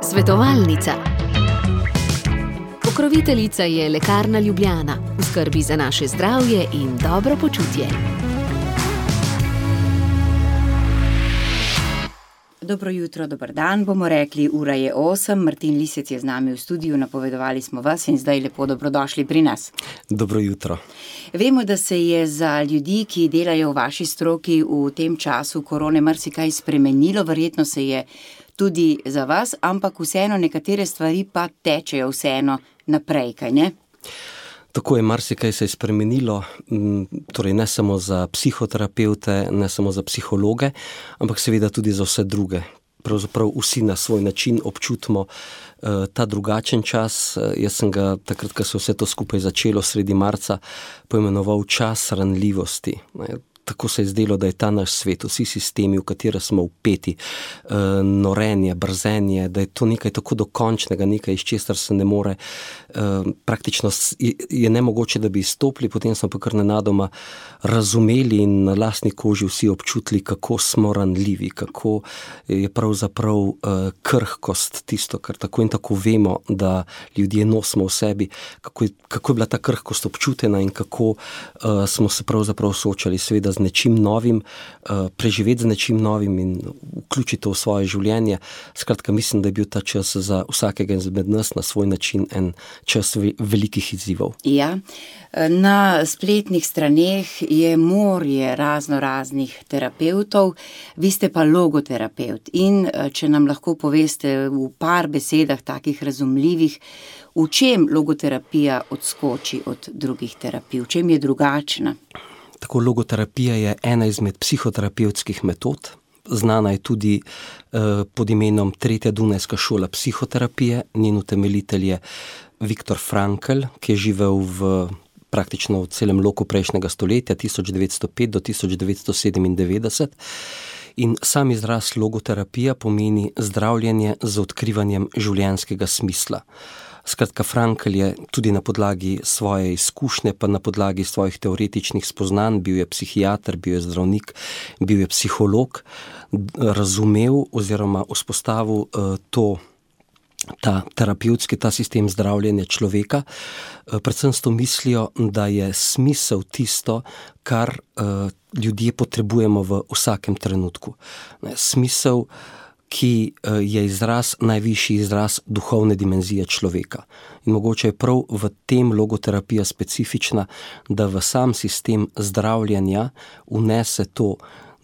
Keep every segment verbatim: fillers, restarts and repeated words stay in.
Svetovalnica. Pokroviteljica je Lekarna Ljubljana, v skrbi za naše zdravje in dobro počutje. Dobro jutro, dober dan, bomo rekli, ura je osem, Martin Lisec je z nami v studiu, napovedovali smo vas in zdaj lepo dobrodošli pri nas. Dobro jutro. Vemo, da se je za ljudi, ki delajo v vaši stroki v tem času korone marsikaj spremenilo, verjetno se je tudi za vas, ampak vseeno nekatere stvari pa tečejo vseeno naprej, kaj ne? Tako je, marsikaj se je spremenilo, torej ne samo za psihoterapevte, ne samo za psihologe, ampak seveda tudi za vse druge. Pravzaprav vsi na svoj način občutimo uh, ta drugačen čas. Jaz sem ga takrat, ko se vse to skupaj začelo sredi marca, poimenoval čas ranljivosti. Tako se je zdelo, da je ta naš svet, vsi sistemi, v katere smo vpeti, uh, norenje, brzenje, da je to nekaj tako dokončnega, nekaj, iz česar se ne more, uh, praktično je, je nemogoče, da bi izstopili, potem smo pa kar nenadoma razumeli in na lastni koži vsi občutili, kako smo ranljivi, kako je pravzaprav uh, krhkost tisto, kar tako in tako vemo, da ljudje nosimo v sebi, kako je, kako je bila ta krhkost občutena in kako uh, smo se pravzaprav soočali seveda z nečim novim, preživeti z nečim novim in vključiti to v svoje življenje. Skratka, mislim, da je bil ta čas za vsakega izmed nas na svoj način en čas velikih izzivov. Ja, na spletnih straneh je morje razno raznih terapevtov, vi ste pa logoterapeut in če nam lahko poveste v par besedah takih razumljivih, v čem logoterapija odskoči od drugih terapij, v čem je drugačna? Tako, logoterapija je ena izmed psihoterapevtskih metod. Znana je tudi eh, pod imenom Tretja Dunajska šola psihoterapije. Njen utemeljitelj je Viktor Frankl, ki je živel v praktično v celem loku prejšnjega stoletja, tisoč devetsto pet do tisoč devetsto sedemindevetdeset. In sam izraz logoterapija pomeni zdravljenje z odkrivanjem življenjskega smisla. Skratka, Frankl je tudi na podlagi svoje izkušnje, pa na podlagi svojih teoretičnih spoznanj, bil je psihiater, bil je zdravnik, bil je psiholog, razumel oziroma vzpostavil uh, to, ta terapevtski, ta sistem zdravljenja človeka, uh, predvsem s to mislijo, da je smisel tisto, kar uh, ljudje potrebujemo v vsakem trenutku. Ne, smisel, ki je izraz, najvišji izraz duhovne dimenzije človeka. In mogoče je prav v tem logoterapija specifična, da v sam sistem zdravljenja vnese to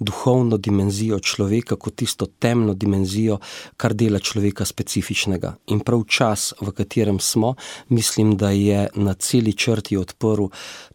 duhovno dimenzijo človeka kot tisto temno dimenzijo, kar dela človeka specifičnega. In prav čas, v katerem smo, mislim, da je na celi črti odprl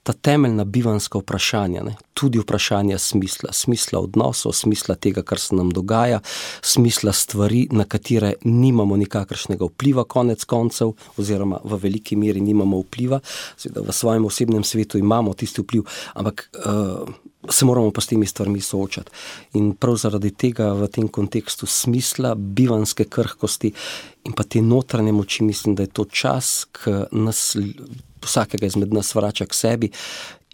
ta temeljna bivanska vprašanja, ne? Tudi vprašanja smisla, smisla odnosov, smisla tega, kar se nam dogaja, smisla stvari, na katere nimamo nikakršnega vpliva konec koncev, oziroma v veliki meri nimamo vpliva, seveda v svojem osebnem svetu imamo tisti vpliv, ampak uh, se moramo pa s temi stvarmi soočati. In prav zaradi tega v tem kontekstu smisla, bivanske krhkosti in pa te notranje moči, mislim, da je to čas, ki nas, vsakega izmed nas vrača k sebi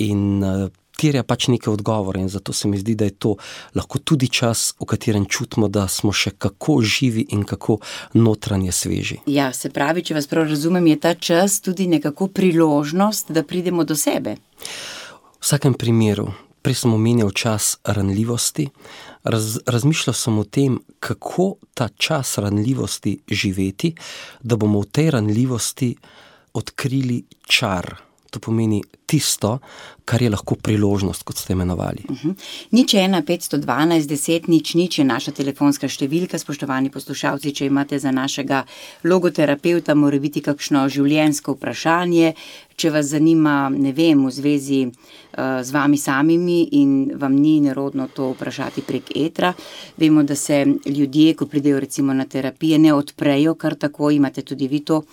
in uh, terja pač neke odgovore in zato se mi zdi, da je to lahko tudi čas, v katerem čutimo, da smo še kako živi in kako notranje sveži. Ja, se pravi, če vas prav razumem, je ta čas tudi nekako priložnost, da pridemo do sebe. V vsakem primeru, prej sem omenjal čas ranljivosti, raz, razmišljal sem o tem, kako ta čas ranljivosti živeti, da bomo v tej ranljivosti odkrili čar. To pomeni tisto, kar je lahko priložnost, kot ste imenovali. Uh-huh. Nič ena, petsto dvanajst, deset, nič, nič je naša telefonska številka, spoštovani poslušalci, če imate za našega logoterapeuta, mora biti kakšno življenjsko vprašanje, če vas zanima, ne vem, v zvezi uh, z vami samimi in vam ni nerodno to vprašati prek etra. Vemo, da se ljudje, ko pridejo recimo na terapije, ne odprejo, kar tako imate tudi vi to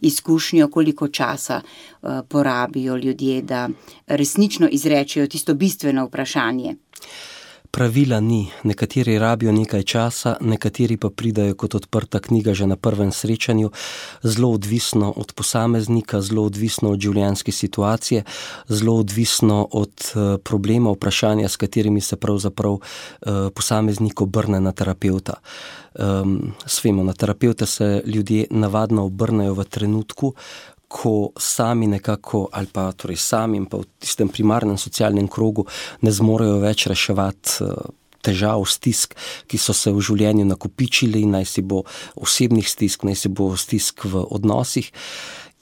izkušnjo, koliko časa uh, porabijo ljudje, da resnično izrečejo tisto bistveno vprašanje. pravila ni. Nekateri rabijo nekaj časa, nekateri pa pridajo kot odprta knjiga že na prvem srečanju. Zelo odvisno od posameznika, zelo odvisno od življenjske situacije, zelo odvisno od problema, vprašanja, s katerimi se pravzaprav posameznik obrne na terapevta. Um, svemo, na terapevta se ljudje navadno obrnejo v trenutku, ko sami nekako, ali pa torej sami in pa v tistem primarnem socialnem krogu ne zmorejo več reševati težav, stisk, ki so se v življenju nakopičili, naj si bo osebnih stisk, naj si bo stisk v odnosih.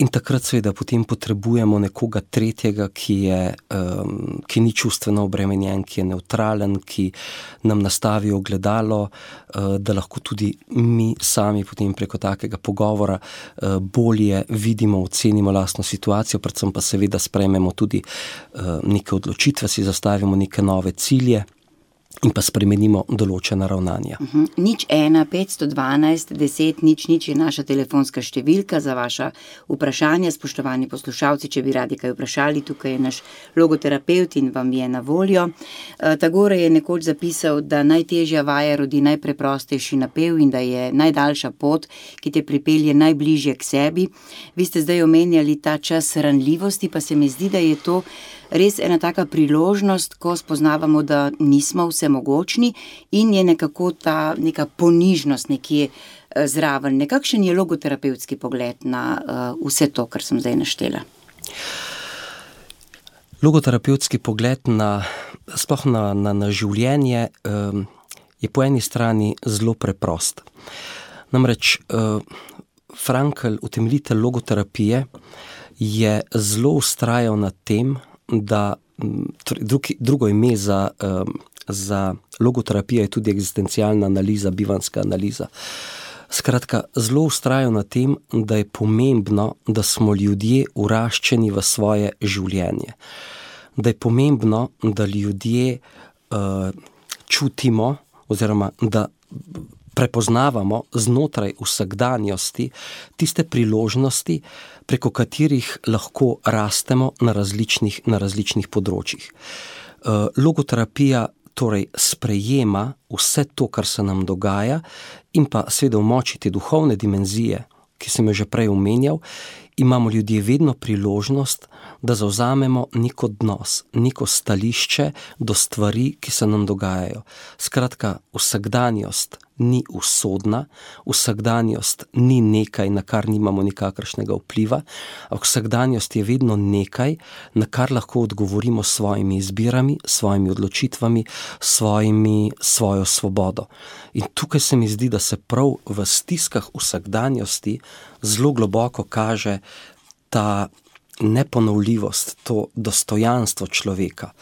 In takrat seveda potem potrebujemo nekoga tretjega, ki je, um, ki ni čustveno obremenjen, ki je nevtralen, ki nam nastavi ogledalo, uh, da lahko tudi mi sami potem preko takega pogovora uh, bolje vidimo, ocenimo lastno situacijo, predvsem pa seveda sprejmemo tudi uh, neke odločitve, si zastavimo neke nove cilje in pa spremenimo določena ravnanja. Uh-huh. Nič ena, petsto dvanajst, deset, nič, nič je naša telefonska številka za vaša vprašanja. Spoštovani poslušalci, če bi radi kaj vprašali, tukaj je naš logoterapeut in vam je na voljo. Uh, Tagore je nekoč zapisal, da najtežja vaja rodi najpreprostejši napev in da je najdaljša pot, ki te pripelje najbližje k sebi. Vi ste zdaj omenjali ta čas ranljivosti, pa se mi zdi, da je to res ena taka priložnost, ko spoznavamo, da nismo vsemogočni in je nekako ta neka ponižnost nekje zraven. Nekakšen je logoterapevtski pogled na uh, vse to, kar sem zdaj naštela? Logoterapevtski pogled na, sploh na, na, na življenje um, je po eni strani zelo preprost. Namreč uh, Frankl, utemeljitelj logoterapije, je zelo vztrajal na tem, da drugi, drugo ime za, um, za logoterapijo je tudi eksistencialna analiza, bivanjska analiza. Skratka, zelo vztrajal na tem, da je pomembno, da smo ljudje vraščeni v svoje življenje. Da je pomembno, da ljudje uh, čutimo oziroma da prepoznavamo znotraj vsakdanjosti tiste priložnosti, preko katerih lahko rastemo na različnih, na različnih področjih. Logoterapija torej sprejema vse to, kar se nam dogaja in pa seveda v moči te duhovne dimenzije, ki sem jo že prej omenjal, imamo ljudje vedno priložnost, da zavzamemo nek odnos, neko stališče do stvari, ki se nam dogajajo. Skratka, vsakdanjost ni usodna, vsakdanjost ni nekaj, na kar nimamo nikakršnega vpliva, ampak vsakdanjost je vedno nekaj, na kar lahko odgovorimo s svojimi izbirami, svojimi odločitvami, svojimi, svojo svobodo. In tukaj se mi zdi, da se prav v stiskah vsakdanjosti zelo globoko kaže ta neponovljivost, to dostojanstvo človeka.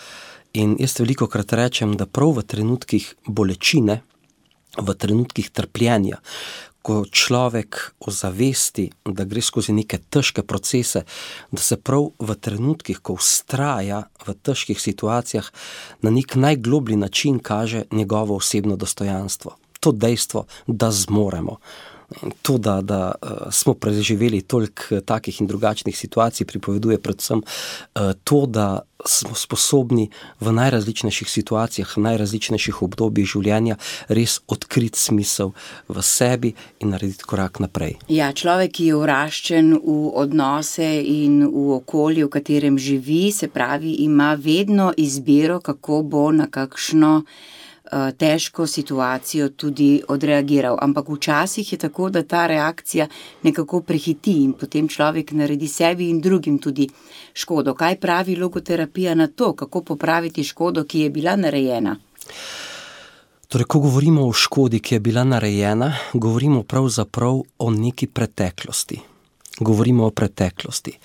In jaz velikokrat rečem, da prav v trenutkih bolečine, v trenutkih trpljenja, ko človek ozavesti, da gre skozi neke težke procese, da se prav v trenutkih, ko vztraja v težkih situacijah, na nek najgloblji način kaže njegovo osebno dostojanstvo. To dejstvo, da zmoremo. To, da, da uh, smo preživeli toliko takih in drugačnih situacij, pripoveduje predvsem uh, to, da smo sposobni v najrazličnejših situacijah, v najrazličnejših obdobjih življenja res odkriti smisel v sebi in narediti korak naprej. Ja, človek, ki je vraščen v odnose in v okolje, v katerem živi, se pravi, ima vedno izbiro, kako bo na kakšno težko situacijo tudi odreagiral. Ampak včasih je tako, da ta reakcija nekako prehiti in potem človek naredi sebi in drugim tudi škodo. Kaj pravi logoterapija na to? Kako popraviti škodo, ki je bila narejena? Torej, ko govorimo o škodi, ki je bila narejena, govorimo pravzaprav o neki preteklosti. Govorimo o preteklosti.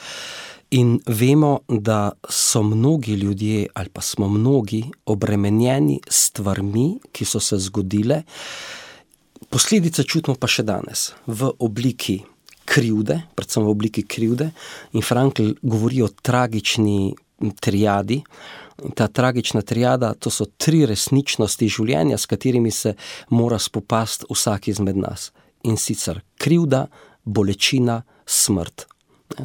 In vemo, da so mnogi ljudje ali pa smo mnogi obremenjeni s stvarmi, ki so se zgodile. Posledice čutimo pa še danes v obliki krivde, predvsem v obliki krivde. In Frankl govori o tragični triadi. Ta tragična triada, to so tri resničnosti življenja, s katerimi se mora spopasti vsak izmed nas. In sicer krivda, bolečina, smrt.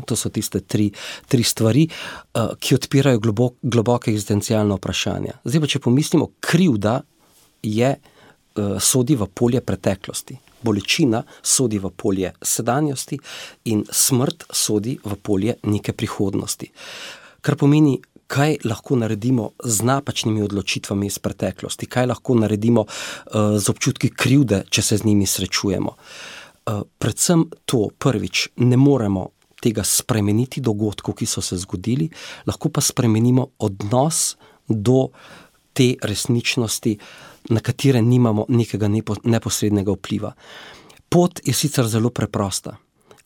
To so tiste tri, tri stvari, ki odpirajo globok, globoke egzistencialne vprašanja. Zdaj pa, če pomislimo, krivda je, sodi v polje preteklosti. Bolečina sodi v polje sedanjosti in smrt sodi v polje neke prihodnosti. Kar pomeni, kaj lahko naredimo z napačnimi odločitvami iz preteklosti, kaj lahko naredimo uh, z občutki krivde, če se z njimi srečujemo. Uh, predvsem to, prvič, ne moremo tega spremeniti dogodkov, ki so se zgodili, lahko pa spremenimo odnos do te resničnosti, na katere nimamo nekega nepo, neposrednega vpliva. Pot je sicer zelo preprosta.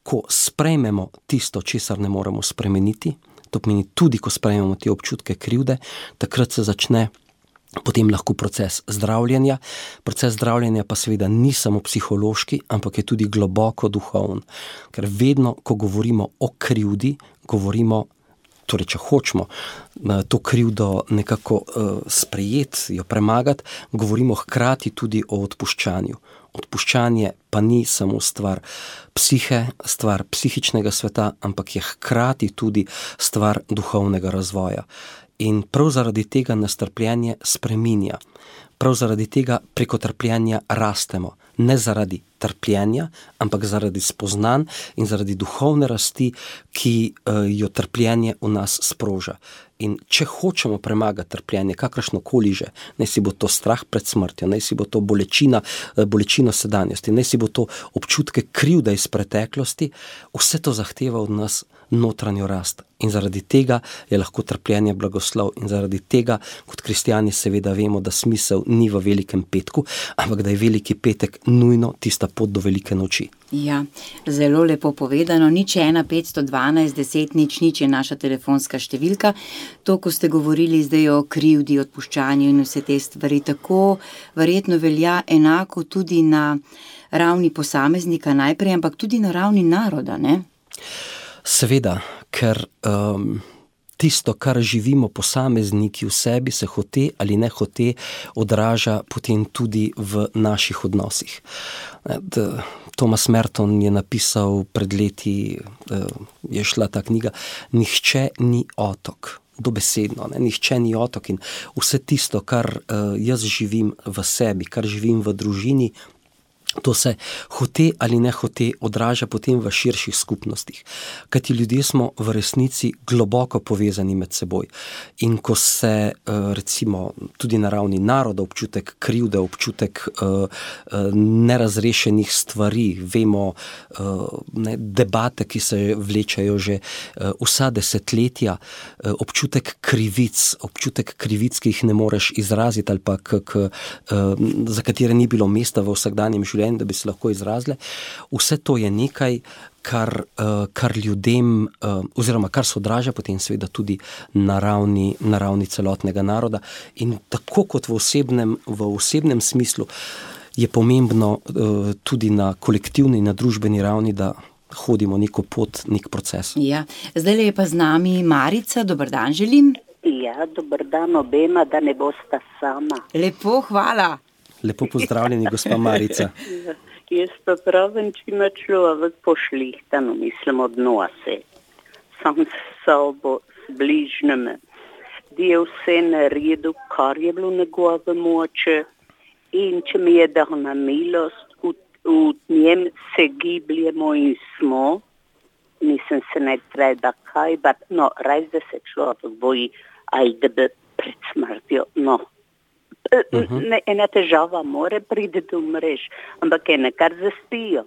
Ko sprejmemo tisto, česar ne moremo spremeniti, to pomeni tudi, ko sprejmemo te občutke krivde, takrat se začne potem lahko proces zdravljenja. Proces zdravljenja pa seveda ni samo psihološki, ampak je tudi globoko duhoven. Ker vedno, ko govorimo o krivdi, govorimo, torej če hočemo to krivdo nekako uh, sprejeti, jo premagati, govorimo hkrati tudi o odpuščanju. Odpuščanje pa ni samo stvar psihe, stvar psihičnega sveta, ampak je hkrati tudi stvar duhovnega razvoja. In prav zaradi tega nas trpljenje spreminja. Prav zaradi tega preko trpljenja rastemo. Ne zaradi trpljenja, ampak zaradi spoznanj in zaradi duhovne rasti, ki uh, jo trpljenje v nas sproža. In če hočemo premagati trpljenje, kakršnokoli že, naj si bo to strah pred smrtjo, naj si bo to bolečina, bolečino sedanjosti, naj si bo to občutke krivde iz preteklosti, vse to zahteva od nas notranjo rast. In zaradi tega je lahko trpljenje blagoslov in zaradi tega, kot kristjani seveda vemo, da smisel ni v velikem petku, ampak da je veliki petek nujno tista pot do velike noči. Ja, zelo lepo povedano. Nič ena petsto dvanajst deset nič nič je naša telefonska številka. To, ko ste govorili zdaj o krivdi, odpuščanju in vse te stvari, tako verjetno velja enako tudi na ravni posameznika najprej, ampak tudi na ravni naroda, ne? Seveda, ker um, tisto, kar živimo posamezniki v sebi, se hote ali ne hote odraža potem tudi v naših odnosih. Thomas Merton je napisal pred leti, je šla ta knjiga, Nihče ni otok. Dobesedno, ne? Nihče ni otok in vse tisto, kar uh, jaz živim v sebi, kar živim v družini, to se hote ali ne hote odraža potem v širših skupnostih. Kajti ljudje smo v resnici globoko povezani med seboj. In ko se recimo tudi na ravni naroda občutek krivde, občutek nerazrešenih stvari, vemo ne, debate, ki se vlečajo že vsa desetletja, občutek krivic, občutek krivic, ki jih ne moreš izraziti ali pa k, k, za katere ni bilo mesta v vsakdanjem življenju, da bi se lahko izrazile. Vse to je nekaj, kar, kar ljudem, oziroma kar se odraža potem seveda tudi na ravni, na ravni celotnega naroda. In tako kot v osebnem, v osebnem smislu je pomembno tudi na kolektivni in na družbeni ravni, da hodimo neko pot, nek proces. Ja, zdaj je pa z nami Marica. Dober dan želim. Ja, dober dan obema, da ne bosta sama. Lepo, hvala. Lepo pozdravljeni, gospa Marica. Jaz pa pravim, če ima človek pošlihtano, mislim, odnose. Sam s sobo, s bližnjimi. Da je vse naredil, kar je bilo njegove moče. In če mi je dal na milost, v, v njem se gibljemo in smo. Mislim, se ne treba kaj, but, no, res da se človek boji, ali da bi pred smrtjo, no. Uh-huh. Ne, ena težava mora priti, da umreš, ampak ena kar zaspijo.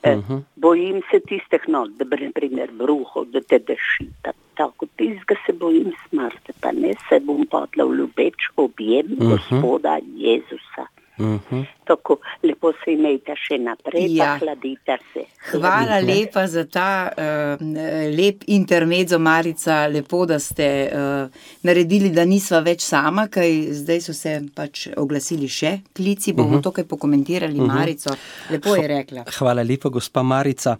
Uh-huh. Bojim se tistih, no, da bi naprimer bruhov, da te deši. Tako tistega se bojim smrti, pa ne se bom padla v ljubeč objem uh-huh. Gospoda Jezusa. Uh-huh. Tako lepo se imejte še naprej, ja. Pa hladite se. Hvala hladite. Lepa za ta uh, lep intermezzo, Marica, lepo, da ste uh, naredili, da nisva več sama, kaj zdaj so se pač oglasili še klici, bomo uh-huh. to kaj pokomentirali, uh-huh. Marico, lepo je rekla. Hvala lepa, gospa Marica.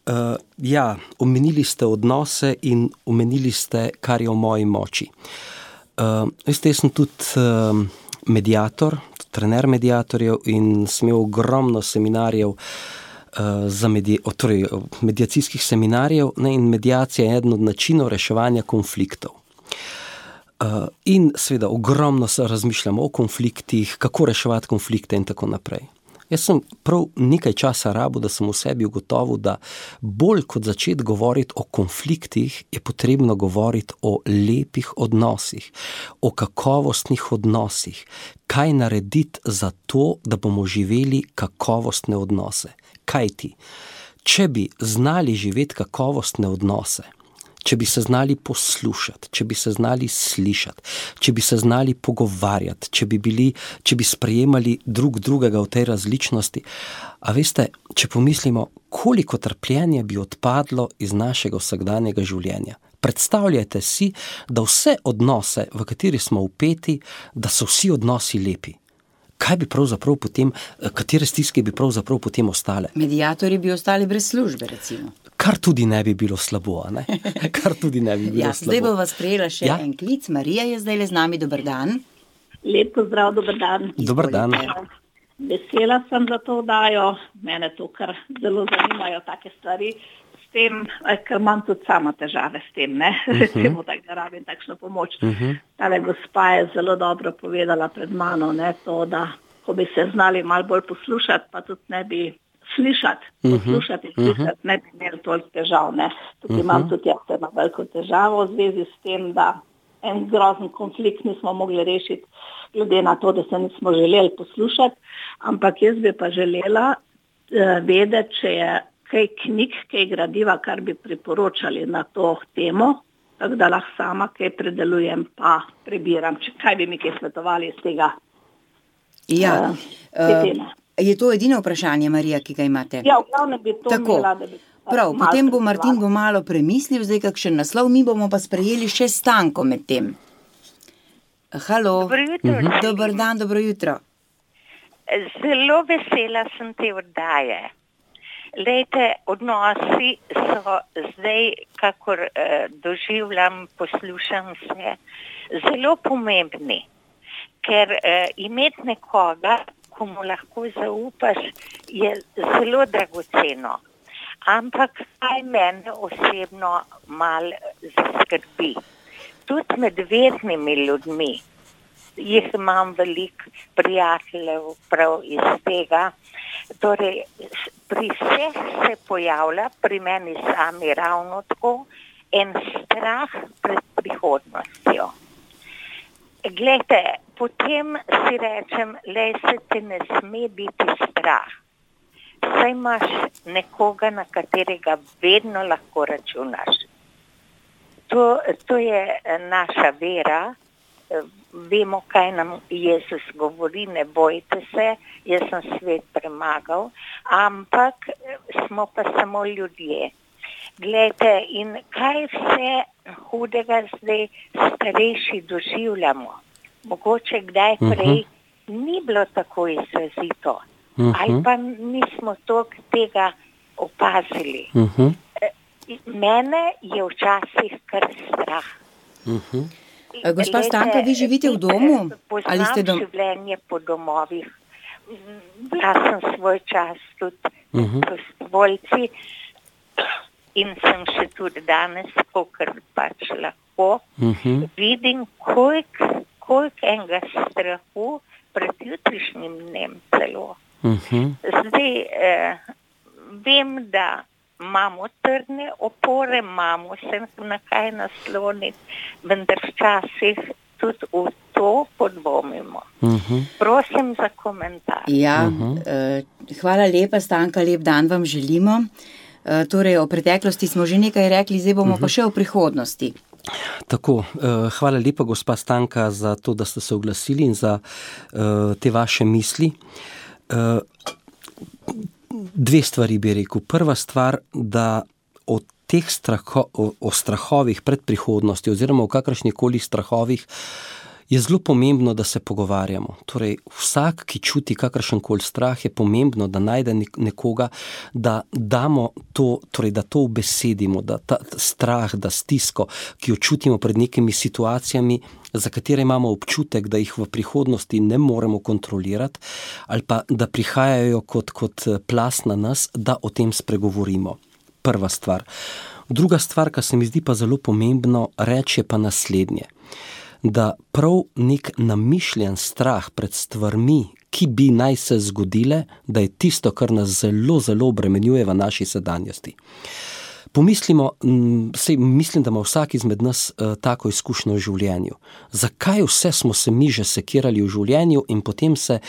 Uh, ja, omenili ste odnose in omenili ste, kar je v moji moči. Uh, veste, jaz sem tudi uh, mediator, trener mediatorjev in sem imel ogromno seminarjev za medij, torej, medijacijskih seminarjev, ne, in medijacija je eden od načinov reševanja konfliktov. In seveda ogromno se razmišljamo o konfliktih, kako reševati konflikte in tako naprej. Jaz sem prav nekaj časa rabil, da sem v sebi ugotovil, da bolj kot začeti govoriti o konfliktih, je potrebno govoriti o lepih odnosih, o kakovostnih odnosih. Kaj narediti za to, da bomo živeli kakovostne odnose? Kaj ti? Če bi znali živeti kakovostne odnose, če bi se znali poslušati, če bi se znali slišati, če bi se znali pogovarjati, če bi bili, če bi sprejemali drug drugega v tej različnosti. A veste, če pomislimo, koliko trpljenja bi odpadlo iz našega vsakdanjega življenja. Predstavljajte si, da vse odnose, v kateri smo vpeti, da so vsi odnosi lepi. Kaj bi pravzaprav potem, katere stiske bi pravzaprav potem ostale? Medijatorji bi ostali brez službe, recimo. Kar tudi ne bi bilo slabo, ne? Kar tudi ne bi bilo ja, slabo. Zdaj bo vas prejela še ja? en klic. Marija je zdaj le z nami. Dober dan. Lep pozdrav, dober dan. Dober dan. Vesela sem za to oddajo. Mene to kar zelo zanimajo take stvari. S tem, ker imam tudi sama težave s tem, ne? Recimo, uh-huh. tak, da rabim takšno pomoč. Uh-huh. Tale gospa je zelo dobro povedala pred mano, ne? To, da ko bi se znali malo bolj poslušati, pa tudi ne bi slišati, poslušati in slišati, uh-huh. ne bi imeli toliko težav. Ne? Tukaj uh-huh. imam tudi jaz eno veliko težavo v zvezi s tem, da en grozen konflikt nismo mogli rešiti, glede na to, da se nismo želeli poslušati, ampak jaz bi pa želela uh, vedeti, če je kaj knjig, kaj gradiva, kar bi priporočali na to temo, tako da lahko sama kaj predelujem, pa prebiram. Če, kaj bi mi kaj svetovali iz tega? Ja, uh, uh, je to edino vprašanje, Marija, ki ga imate? Ja, v glavnem bi to Tako. imela, da bi... Prav, potem bo Martin bo malo premislil, zdaj kakšen naslov, mi bomo pa sprejeli še Stanko med tem. Halo. Dobro jutro. Uh-huh. Dobar dan, dobro jutro. Zelo vesela sem te oddaje. Lejte, odnosi so zdaj, kakor eh, doživljam, poslušam se, zelo pomembni, ker eh, imeti nekoga, komu lahko zaupaš, je zelo dragoceno. Ampak kaj mene osebno mal zaskrbi. Tudi med vernimi ljudmi, jih imam veliko prijateljev prav iz tega, torej pri vseh se pojavlja, pri meni sami ravno tako, en strah pred prihodnostjo. Glejte, potem si rečem, lej, se te ne sme biti strah. Saj imaš nekoga, na katerega vedno lahko računaš. To, to je naša vera. Vemo, kaj nam Jezus govori, ne bojte se, jaz sem svet premagal, ampak smo pa samo ljudje. Glejte, in kaj vse hudega zdaj starejši doživljamo. Mogoče kdaj prej uh-huh. ni bilo tako izrazito. Uh-huh. Ali pa nismo toliko tega opazili. Uh-huh. Mene je včasih kar strah. Uh-huh. Gospa Stanka, vi živite v domu? Poznam ali ste dom... življenje po domovih. Bila sem svoj čas tudi uh-huh. prostovoljci in sem še tudi danes, kolikor pač lahko, uh-huh. vidim, koliko kolik enega strahu pred jutrišnjim dnem celo. Uh-huh. Zdaj, eh, vem, da imamo trdne opore, imamo se na kaj nasloniti, vendar včasih tudi v to podvomimo. Uh-huh. Prosim za komentar. Ja, uh-huh. eh, hvala lepa, Stanka, lep dan vam želimo. Eh, torej, o preteklosti smo že nekaj rekli, zdaj bomo uh-huh. pa še o prihodnosti. Tako, eh, hvala lepa, gospa Stanka, za to, da ste se oglasili in za eh, te vaše misli. Eh, Dve stvari bi rekel. Prva stvar, da o teh straho, o, o strahovih pred prihodnosti oziroma o kakršnikoli strahovih je zelo pomembno, da se pogovarjamo. Torej, vsak, ki čuti kakršenkoli strah, je pomembno, da najde nekoga, da damo to, torej, da to ubesedimo, da ta strah, da stisko, ki jo čutimo pred nekimi situacijami, za katere imamo občutek, da jih v prihodnosti ne moremo kontrolirati, ali pa da prihajajo kot, kot plast na nas, da o tem spregovorimo. Prva stvar. Druga stvar, kar se mi zdi pa zelo pomembno, reči je pa naslednje. Da prav nek namišljen strah pred stvarmi, ki bi naj se zgodile, da je tisto, kar nas zelo, zelo obremenjuje v naši sedanjosti. Pomislimo, sej mislim, da ima vsak izmed nas uh, tako izkušnjo v življenju. Zakaj vse smo se mi že sekirali v življenju in potem se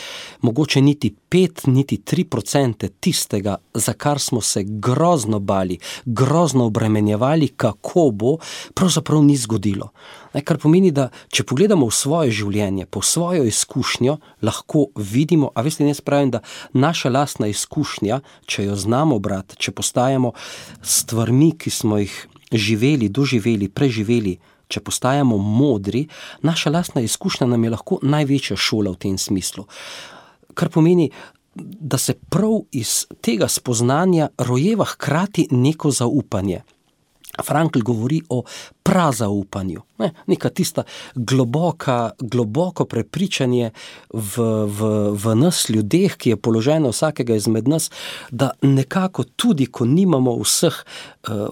mogoče niti pet, niti tri procente tistega, za kar smo se grozno bali, grozno obremenjevali, kako bo, pravzaprav ni zgodilo. Kar pomeni, da če pogledamo v svoje življenje, po svojo izkušnjo, lahko vidimo, a veste, jaz pravim, da naša lastna izkušnja, če jo znamo brati, če postajamo stvarmi, ki smo jih živeli, doživeli, preživeli, če postajamo modri, naša lastna izkušnja nam je lahko največja šola v tem smislu. Kar pomeni, da se prav iz tega spoznanja rojeva hkrati neko zaupanje. Frankl govori o prazaupanju, ne, neka tista globoka, globoko prepričanje v, v, v nas ljudeh, ki je položeno vsakega izmed nas, da nekako tudi, ko nimamo vseh uh,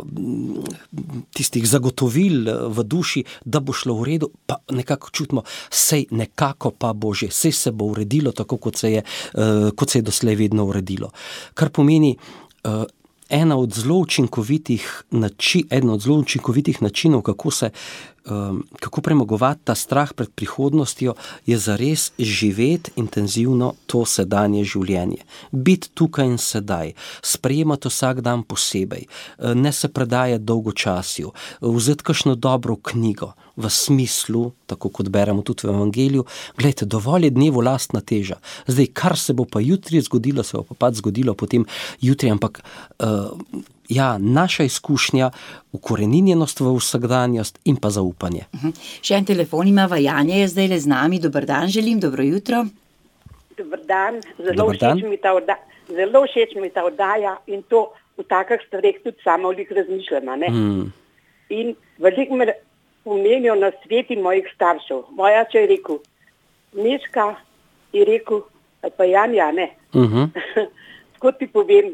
tistih zagotovil v duši, da bo šlo v redu, pa nekako čutimo, sej nekako pa bo že, sej se bo uredilo tako, kot se je, uh, kot se je doslej vedno uredilo. Kar pomeni, uh, Ena od zelo učinkovitih nači, eden od zelo učinkovitih načinov, kako se, um, kako premagovati ta strah pred prihodnostjo, je zares živeti intenzivno to sedanje življenje. Biti tukaj in sedaj, sprejemati vsak dan posebej, ne se predajati dolgočasju, vzeti kakšno dobro knjigo, v smislu, tako kot beremo tudi v Evangeliju, gledajte, dovolj je dnevu lastna teža. Zdaj, kar se bo pa jutri zgodilo, se bo pa pač zgodilo potem jutri, ampak uh, ja, naša izkušnja, ukoreninjenost v vsakdanjost in pa zaupanje. Uh-huh. Še en telefon ima, Janja je zdaj le z nami. Dober dan želim, dobro jutro. Dober dan, zelo všeč mi ta oddaja, zelo všeč mi ta oddaja in to v takih stvareh tudi sama veliko razmišljam, ne? Mm. In veliko me pomenijo na sveti mojih staršev. Moja oče je rekel, Miška je rekel, pa Janja, ne. Uh-huh. Tako ti povem,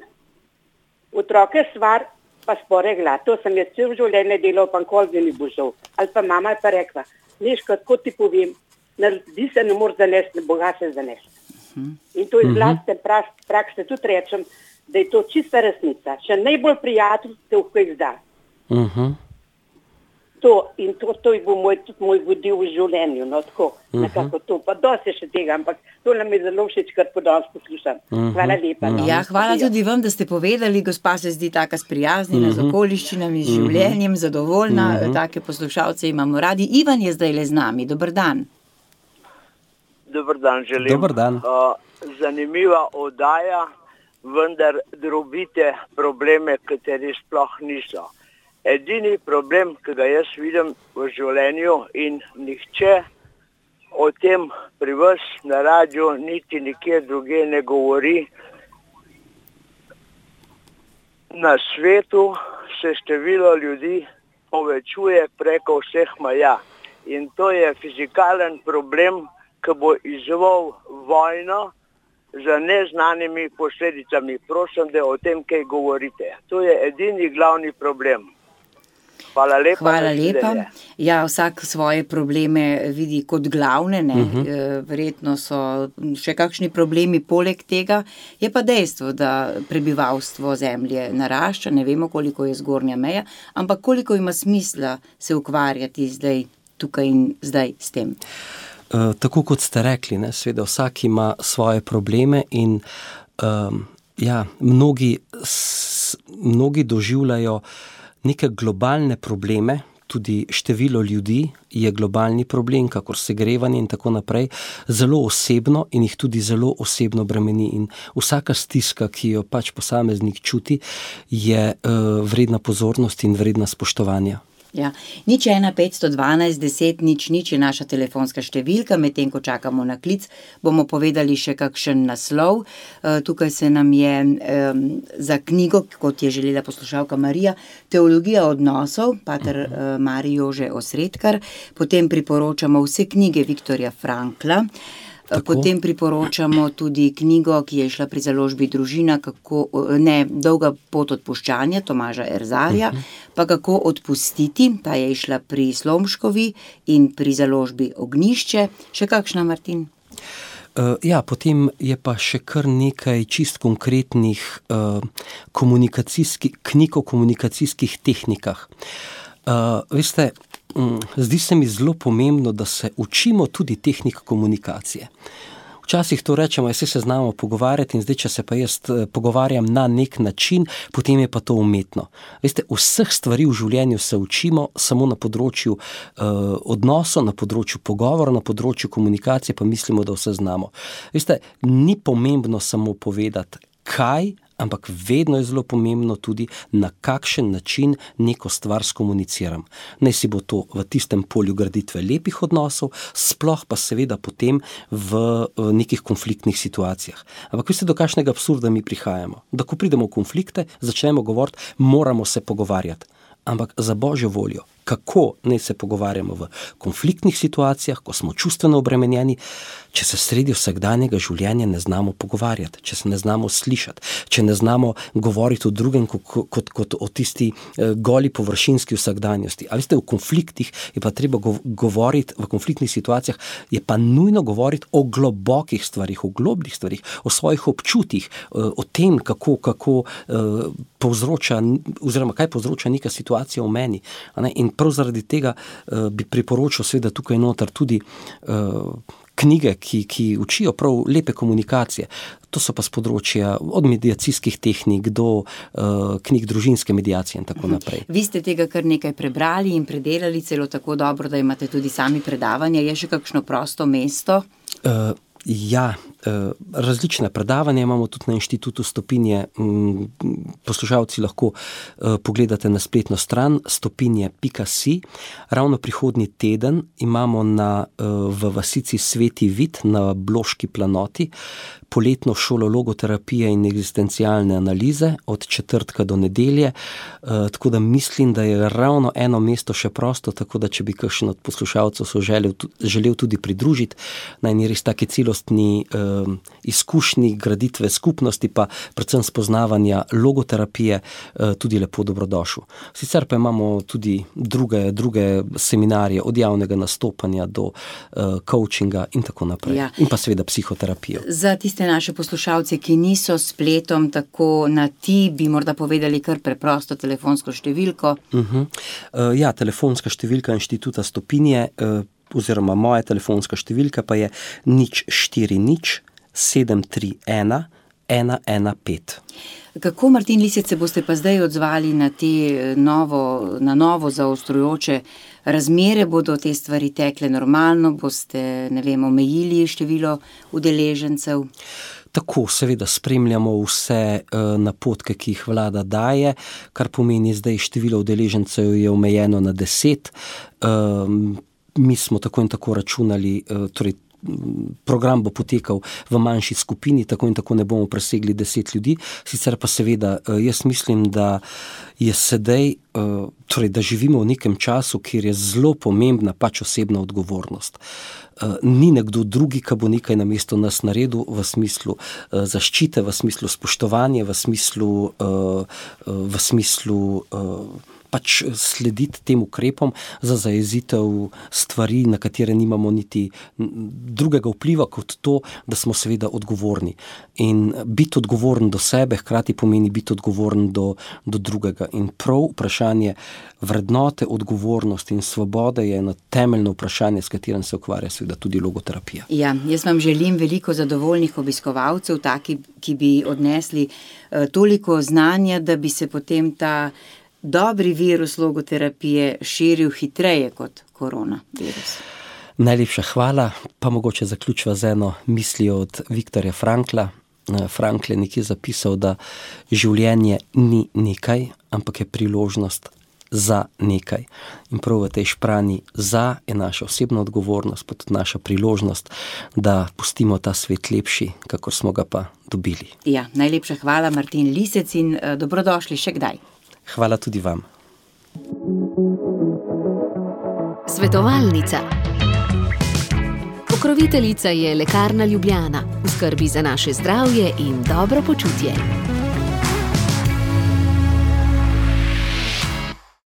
otroke stvar pa sporegla, to sem jaz cel življenje delal, pa nikoli mi ni bo žal. Ali pa mama je pa rekla, Miška, tako ti povem, naredi se ne more zanesti, ne boga se zanesti. Uh-huh. In to iz vlastne prakse tudi rečem, da je to čista resnica. Še najbolj prijatelj te v kaj zda. Uh-huh. To, in to, to je bo moj, tudi moj vodil v življenju, no tako, uh-huh. nekako to, pa dosti še tega, ampak to nam je zelo všeč, kar po danes poslušam. Uh-huh. Hvala lepa. No. Ja, hvala tudi vam, da ste povedali, gospa se zdi taka sprijaznjena, uh-huh. z okoliščinami, z življenjem, zadovoljna, uh-huh. take poslušalce imamo radi. Ivan je zdaj le z nami, dober dan. Dober dan želim. Dober dan. Uh, zanimiva oddaja, vendar drobite probleme, kateri sploh niso. Edini problem, ki ga jaz vidim v življenju in nihče o tem pri vas na radiju niti nikjer druge ne govori. Na svetu se število ljudi povečuje preko vseh meja in to je fizikalen problem, ki bo izzval vojno z neznanimi posledicami. Prosim, da o tem kaj govorite. To je edini glavni problem. Hvala lepa. Hvala lepa. Ja, vsak svoje probleme vidi kot glavne, ne? Uh-huh. Verjetno so še kakšni problemi poleg tega. Je pa dejstvo, da prebivalstvo zemlje narašča, ne vemo, koliko je zgornja meja, ampak koliko ima smisla se ukvarjati zdaj, tukaj in zdaj s tem. Uh, tako kot ste rekli, ne, seveda vsak ima svoje probleme in um, ja, mnogi, s, mnogi doživljajo neke globalne probleme, tudi število ljudi je globalni problem, kakor segrevanje in tako naprej, zelo osebno in jih tudi zelo osebno bremeni in vsaka stiska, ki jo pač posameznik čuti, je uh, vredna pozornosti in vredna spoštovanja. Ja. Nič ena petsto dvanajst deset nič nič je naša telefonska številka, medtem ko čakamo na klic, bomo povedali še kakšen naslov. Tukaj se nam je um, za knjigo, kot je želela poslušalka Marija, Teologija odnosov, pater uh, Mari Jože Osredkar, potem priporočamo vse knjige Viktorja Frankla. Tako. Potem priporočamo tudi knjigo, ki je šla pri založbi Družina, kako, ne, Dolga pot odpuščanja, Tomaža Erzarja, uh-huh. pa Kako odpustiti, ta je šla pri Slomškovi in pri založbi Ognjišče. Še kakšna, Martin? Uh, ja, potem je pa še kar nekaj čist konkretnih uh, komunikacijskih, knjig o komunikacijskih tehnikah. Uh, veste, zdi se mi zelo pomembno, da se učimo tudi tehnik komunikacije. Včasih to rečemo, jaz se znamo pogovarjati in zdaj, če se pa jaz pogovarjam na nek način, potem je pa to umetno. Veste, vseh stvari v življenju se učimo samo na področju uh, odnosov, na področju pogovora, na področju komunikacije, pa mislimo, da vse znamo. Veste, ni pomembno samo povedati, kaj, ampak vedno je zelo pomembno tudi, na kakšen način neko stvar skomuniciram. Naj si bo to v tistem polju graditve lepih odnosov, sploh pa seveda potem v nekih konfliktnih situacijah. Ampak veste, do kakšnega absurda mi prihajamo? Da ko pridemo v konflikte, začnemo govoriti, moramo se pogovarjati. Ampak za Božjo voljo, kako naj se pogovarjamo v konfliktnih situacijah, ko smo čustveno obremenjeni, če se sredi vsakdanjega življenja ne znamo pogovarjati, če se ne znamo slišati, če ne znamo govoriti o drugem kot, kot, kot o tisti eh, goli površinski vsakdanjosti. A veste, v konfliktih je pa treba govoriti, v konfliktnih situacijah je pa nujno govoriti o globokih stvarih, o globljih stvarih, o svojih občutih, eh, o tem, kako, kako eh, povzroča, oziroma kaj povzroča neka situacija v meni. A ne? In prav zaradi tega uh, bi priporočil seveda tukaj noter tudi uh, knjige, ki, ki učijo prav lepe komunikacije. To so pa z področja od mediacijskih tehnik do uh, knjig družinske mediacije in tako naprej. Vi ste tega kar nekaj prebrali in predelali, celo tako dobro, da imate tudi sami predavanja. Je še kakšno prosto mesto? Uh, Ja, različne predavanja imamo tudi na Inštitutu Stopinje. Poslušalci lahko pogledate na spletno stran stopinje pika si. Ravno prihodnji teden imamo na, v vasici Sveti Vid na Bloški planoti poletno šolo logoterapije in egzistencialne analize od četrtka do nedelje, tako da mislim, da je ravno eno mesto še prosto, tako da če bi kakšen od poslušalcev so želel, želel tudi pridružiti na eni res take celostni eh, izkušnji graditve skupnosti, pa predvsem spoznavanja logoterapije, eh, tudi lepo dobrodošel. Sicer pa imamo tudi druge, druge seminarje, od javnega nastopanja do eh, coachinga in tako naprej. Ja. In pa seveda psihoterapijo. Za tiste naše poslušalce, ki niso spletom tako na ti, bi morda povedali kar preprosto telefonsko številko. Uh-huh. Uh, ja, telefonska številka Inštituta Stopinje, uh, oziroma moja telefonska številka pa je nič štiri nič sedem tri ena ena ena pet. Kako, Martin Lisec, se boste pa zdaj odzvali na te novo, na novo zaostrujoče razmere? Bodo te stvari tekle normalno? Boste, ne vem, omejili število udeležencev? Tako, seveda spremljamo vse uh, napotke, ki jih vlada daje, kar pomeni zdaj število udeležencev je omejeno na deset. Um, mi smo tako in tako računali, uh, torej program bo potekal v manjši skupini, tako in tako ne bomo presegli deset ljudi. Sicer pa seveda, jaz mislim, da je sedaj, torej, da živimo v nekem času, kjer je zelo pomembna pač osebna odgovornost. Ni nekdo drugi, ki bo nekaj namesto nas naredil v smislu zaščite, v smislu spoštovanja, v smislu, v smislu pač slediti tem ukrepom za zajezitev stvari, na katere nimamo niti drugega vpliva kot to, da smo seveda odgovorni. In biti odgovoren do sebe hkrati pomeni biti odgovoren do, do drugega. In prav vprašanje vrednote, odgovornosti in svobode je eno temeljno vprašanje, s katerim se ukvarja seveda tudi logoterapija. Ja, jaz vam želim veliko zadovoljnih obiskovalcev, taki, ki bi odnesli uh, toliko znanja, da bi se potem ta dobri virus logoterapije širil hitreje kot koronavirus. Najlepša hvala, pa mogoče zaključiva z eno mislijo od Viktorja Frankla. Frankl je nekje zapisal, da življenje ni nekaj, ampak je priložnost za nekaj. In prav v tej špranji za je naša osebna odgovornost, pa tudi naša priložnost, da pustimo ta svet lepši, kakor smo ga pa dobili. Ja, najlepša hvala, Martin Lisec, in uh, dobrodošli še kdaj. Hvala tudi vam. Svetovalnica. Pokroviteljica je Lekarna Ljubljana, v skrbi za naše zdravje in dobro počutje.